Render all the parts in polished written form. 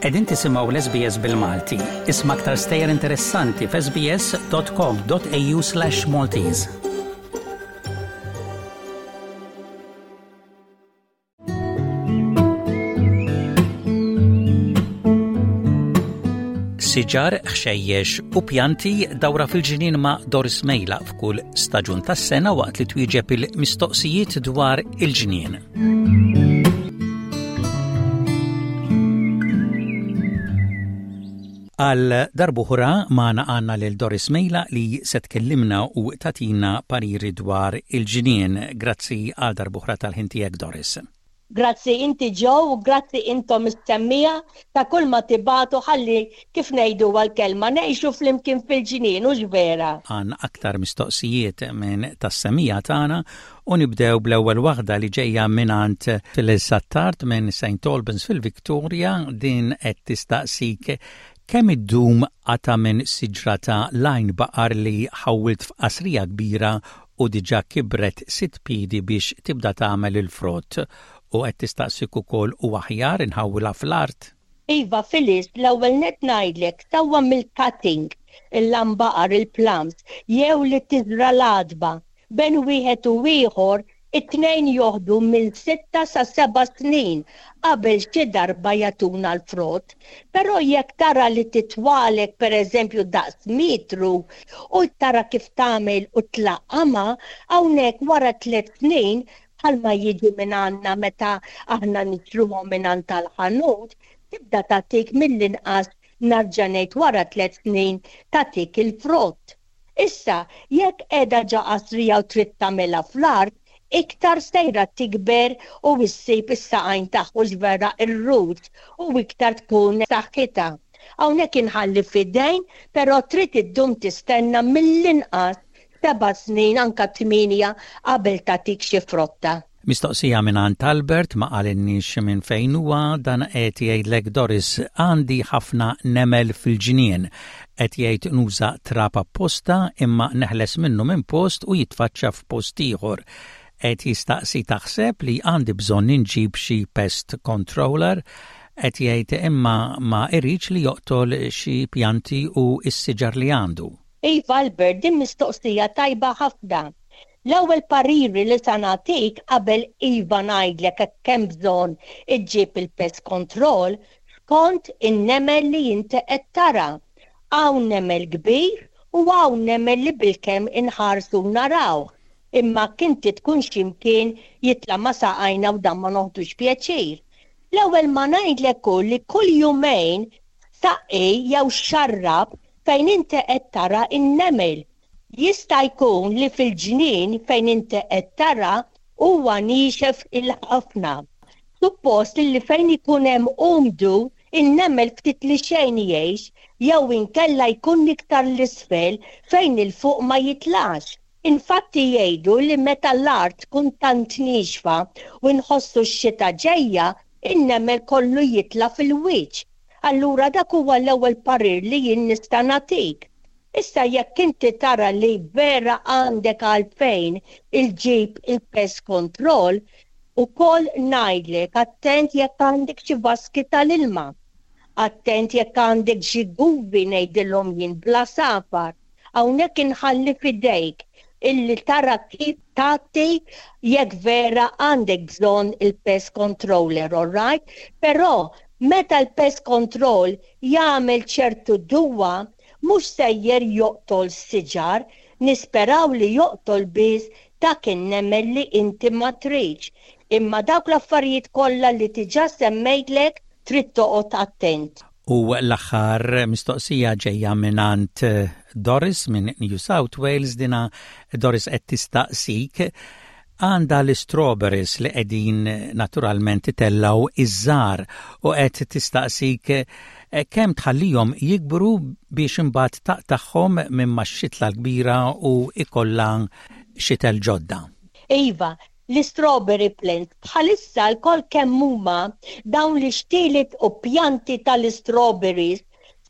Qegħdin tisimgħu l-SBS bil-Malti. Isma' aktar stejjer interessanti f'sbs.com.au/Maltese. Siġar, ħxejjex u pjanti dawra fil-ġnien ma' Doris Mejla f'kull staġun tas-sena waqt li twieġeb il-mistoqsijiet dwar il-ġnien. Għal darb'oħra magħna għandna lil Doris Mejla li se tkellimna u tagħtina pariri dwar il-ġnien. Grazzi għal darb'oħra tal-ħin tiegħek Doris. Grazzi inti Joe u grazzi intom is-semmiegħa ta' kull ma tibagħtu ħalli kif ngħiduha l-kelma ngħixu flimkien fil-ġnien hux vera? Għandna aktar mistoqsijiet minn tas-semmiegħa tagħna U nibdew bl-ewwel waħda li ġejja mingħand Phyllis Attard minn St Albans fil-Victoria, din qed tistaqsik kemm iddum qatgħa minn siġra ta' l-għajn baqar li ħawwilt f'qasrija kbira u diġà kibret sitt piedi biex tibda tagħmel il-frott u qed tistaqsik ukoll hu aħjar inħawwilha fl-art? Iva Phyllis, l-ewwel nett ngħidlek sewwa mill-cutting, il-lambaqar, il-plums, jew li tiżra' l-għadba, Bejn wieħed u ieħor, it-tnejn joħdu minn sitta sa seba' snin qabel xi darba jagħtuna l-frott. Però jekk tara li titwalek pereżempju daqs metru u tara kif tagħmel u tlaqqamha, hawnhekk wara tlett snin, bħalma jiġu minn għandna meta aħna nixtruhom mingħand tal-ħanut, tibda tagħtik mill-inqas narġa' ngħid wara tlett snin tagħtik il-frott. Issa, jekk qiegħda ġa qasrija u trid tagħmilha fl-art, iktar sejra tikber u issib is-saqajn tagħha hux vera r-roots u iktar tkun b'saħħitha. Hawnhekk inħalli f'idejn però trid iddum tistenna mill-inqas seba' snin anka tmienja qabel tagħtik xi frotta. Mistoqsija mingħand Albert ma qalilniex minn fejn huwa dan qed jgħidlek Doris għandi ħafna nemel fil-ġnien. Qed jgħid nuża trab apposta imma neħles minnu minn post u jitfaċċa f'post ieħor. Qed jistaqsi taħseb li għandi bżonn inġib xi pest controller? Qed jgħid imma ma iridx li joqtol xi pjanti u s-siġar li għandu. Iva Albert, din mistoqsija tajba ħafna. L-ewwel pariri li sa nagħtik qabel iva ngħidlek hekk hemm bżonn iġġib il-pest control skont in-nemel li inti qed tara. Hawn nemel kbir u hawn nemel li bilkemm inħarsu u narawh, imma hekk inti tkun xi mkien jitla' ma' saqajna u dan ma noħdux pjaċir. L-ewwel ma ngħidlek hu li kull jumejn saqqi jew xarrab fejn inti qed tara n-nemel. Jista' jkun li fil-ġnien fejn inti qed tara huwa niexef il-ħafna. Suppost li fejn ikun hemm umdu, in-nemel ftit li xejn jgħix jew inkella jkun iktar 'l isfel fejn 'il fuq ma jitlax. Infatti jgħidu li meta l-art tkun tant niexfa u nħossu x-xita ġejja, in-nemel kollu jitla' fil-wiċċ. Allura dak huwa l-ewwel parir li jien nista' nagħtik. Issa jekk inti tara li vera għandek għalfejn il-ġib il-pest control, ukoll ngħidlek attent jekk għandek xi vaski tal-ilma. Attent jekk għandek xi guvi ngħidilhom jien bl-għasafar. Hawnhekk inħalli f'idejk illi tara kif tgħatti jekk vera għandek bżonn il-pest controller, alright? Però meta l-pest control jagħmel ċertu duwa mhux sejjer joqtol siġar, nisperaw li joqtol biss dak in-nemel li inti ma tridx. Imma dawk l-affarijiet kollha li diġà semmejtlek trid toqgħod attent. U l-aħħar mistoqsija ġejja mingħand Doris minn New South Wales dina Doris qed tistaqsik għandha l-strawberries li qegħdin naturalment itellgħu iż-żgħar u qed tistaqsik eh, kemm tħallihom jikbru biex imbagħad taqtagħhom minn max-xitla l-kbira u ikollha xitel ġodda. Iva, l-istrawberry plant bħalissa lkoll kemm huma dawn l-ixtielet u pjanti tal-istrawberries.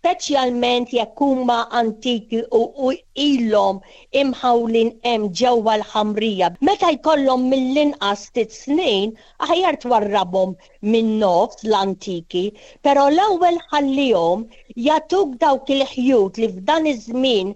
Speċjalment jekk huma antiki u ilhom imħawlin hemm ġewwa l-ħamrija. Meta jkollhom mill-inqas sitt snin, aħjar twarrabhom min-nofs l-antiki, però l-ewwel ħallihom jagħtuk dawk il-ħjut li f'dan iż-żmien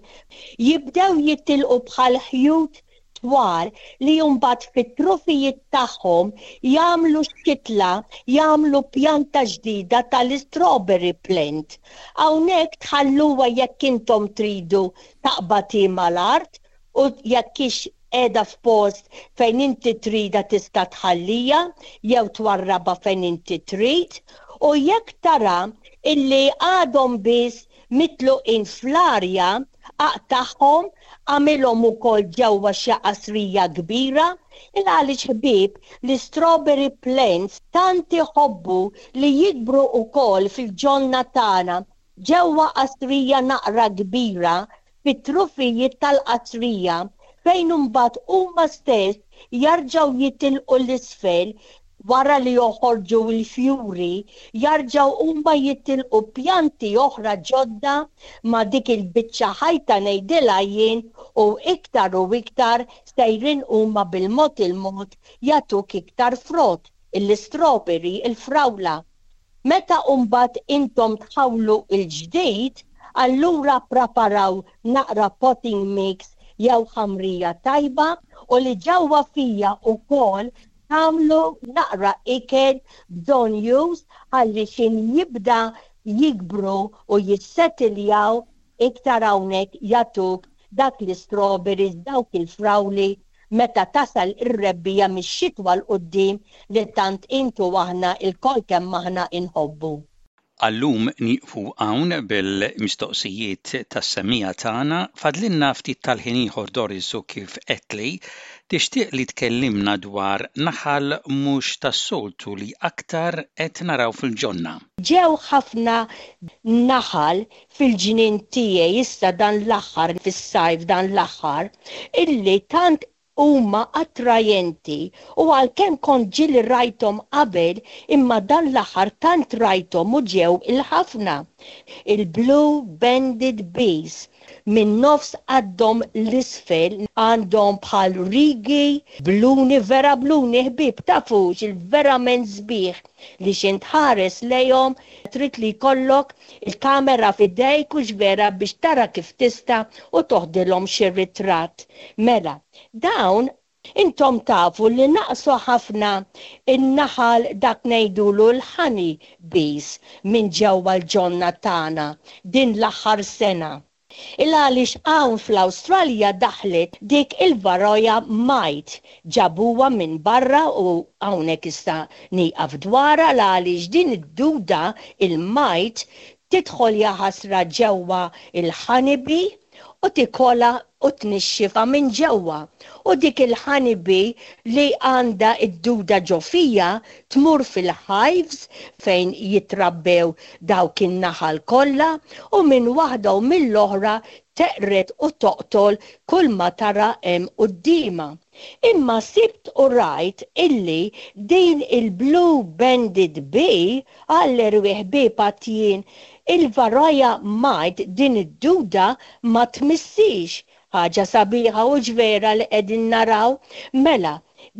jibdew jitilqu bħal ħjut twal li mbagħad fit-trufijiet tagħhom jagħmlu xitla, jagħmlu pjanta ġdida tal-istrawberry plant. Hawnhekk tħalluha jekk intom tridu taqbad hi mal-art u jekk hix qiegħda f'post fejn inti tridha tista' tħallija jew twarrabha fejn inti trid u jekk tara illi għadhom biss mitluqin fl-arja aqtagħhom, agħmilhom ukoll ġewwa xi qasrija kbira, il għaliex ħbieb l-istrawberry plants tant iħobbu li jikbru ukoll fil-ġonna tagħna ġewwa qasrija naqra kbira fit-trufijiet tal-qasrija fejn imbagħad huma stess jarġgħu jitilqu 'l isfel wara li joħorġu l-fjuri, jarġgħu huma jitilqu pjanti oħra ġodda ma' dik il-biċċa ħajta ngħidilha jien u iktar u iktar sejrin huma bil-mod il-mod jagħtuk iktar frott, l-istrawberry, il-frawla. Meta mbagħad intom tħawlu l-ġdid, allura ppraparaw naqra potting mix jew ħamrija tajba u li ġewwa fija wkoll tagħmlu naqra ikel bżonnjuż ħalli x'in jibda jikbru u jissetiljaw iktar hawnhekk jagħtuk dak l-istrawberries, dawk il-frawli meta tasal ir-rebbiegħa mix-xitwa 'l quddiem li tant int u aħna lkoll kemm aħna inħobbu. Għal-lum nieqfu hawn bil-mistoqsijiet tas-semmiegħa tagħna. Fadlilna ftit tal-ħin ieħor Doris u kif għedtli, tixtieq li tkellimna dwar naħal mhux tas-soltu li aktar qed naraw fil-ġonna. Ġew ħafna naħal fil-ġnien tiegħi issa dan l-aħħar, fis-sajf dan l-aħħar, illi tant huma attrajenti u għalkemm kont ġieli rajthom qabel imma dan l-aħħar tant rajthom u ġew il-ħafna. Il-blue banded bees minn nofs qaddhom 'l isfel għandhom bħal rigi bluni vera bluni ħbieb tafux il-verament sbieħ li x'int tħares lejhom trid li jkollok il-kamera f'idejk hux vera biex tara kif tista' u toħdilhom xi ritratt. Mela, dawn intom tafu li naqsu ħafna n-naħal dak ngħidulu l-honey bees minn ġewwa l-ġonna tagħna din l-aħħar sena. Il għaliex hawn fl-Awstralja daħlet dik il-Varroa mite, ġabuha minn barra u hawnhekk issa nieqaf dwarha l għaliex din id-duda, il-mite, tidħol jaħasra ġewwa il-honeybee u tikolha u tnixxifha minn ġewwa u dik il-honeybee li għandha d-duda ġo fiha tmur fil-hives fejn jitrabbew dawk in-naħal kollha u minn waħda u mill-oħra teqred u toqtol kull ma tara hemm quddiemha. Imma sibt u rajt illi din il-blue banded bee, għall-erwieħ ħbieb għad jien, il-varroa mite din id-duda ma tmissix Ħaġa sabiħa hux vera li qegħdin naraw? Mela,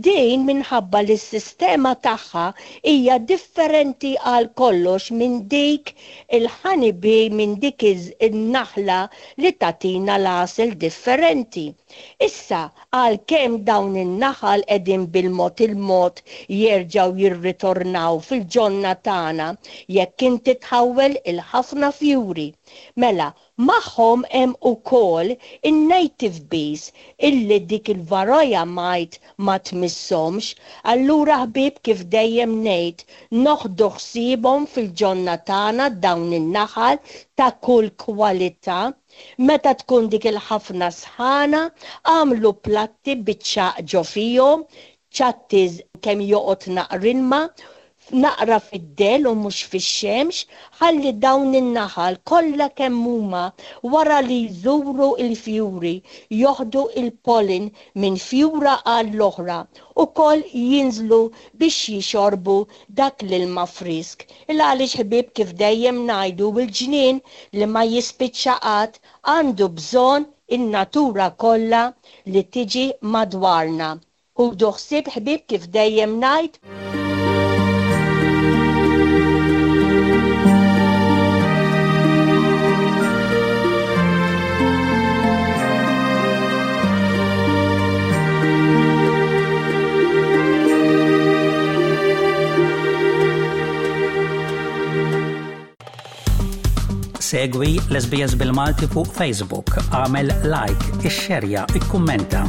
din minħabba li s-sistema tagħha hija differenti għal kollox minn dik il-honey bee minn dik in-naħla li tagħtina l-għasel differenti. Issa, għalkemm dawn in-naħal qegħdin bil-mod il-mod jerġgħu jirritornaw fil-ġonna tagħna jekk inti tħawwel il-ħafna fjuri. Mela, Magħhom hemm ukoll in-native bees illi dik il-varroa mite ma tmisshomx, allura ħbieb kif dejjem ngħid noħdu ħsiebhom fil-ġonna tagħna dawn in-naħal ta' kull kwalità. Meta tkun dik il-ħafna sħana agħmlu platti biċ-ċagħaq ġo fihom, ċattiż kemm joqgħod naqra ilma. Naqra fid-dell u mhux fix-xemx, ħalli dawn in-naħal kollha kemm huma wara li jżuru l-fjuri joħdu l-pollen minn fjura għall-oħra ukoll jinżlu biex jixorbu dak l-ilma frisk. Il għaliex ħbieb kif dejjem ngħidu l-ġnien li ma jispiċċa qatt għandu bżonn in-natura kollha li tiġi madwarna. Ħudu ħsieb ħbieb kif dejjem ngħid. Segwi l-SBS bil-Malti fuq Facebook, għamel like, ixxerja, ikkummenta.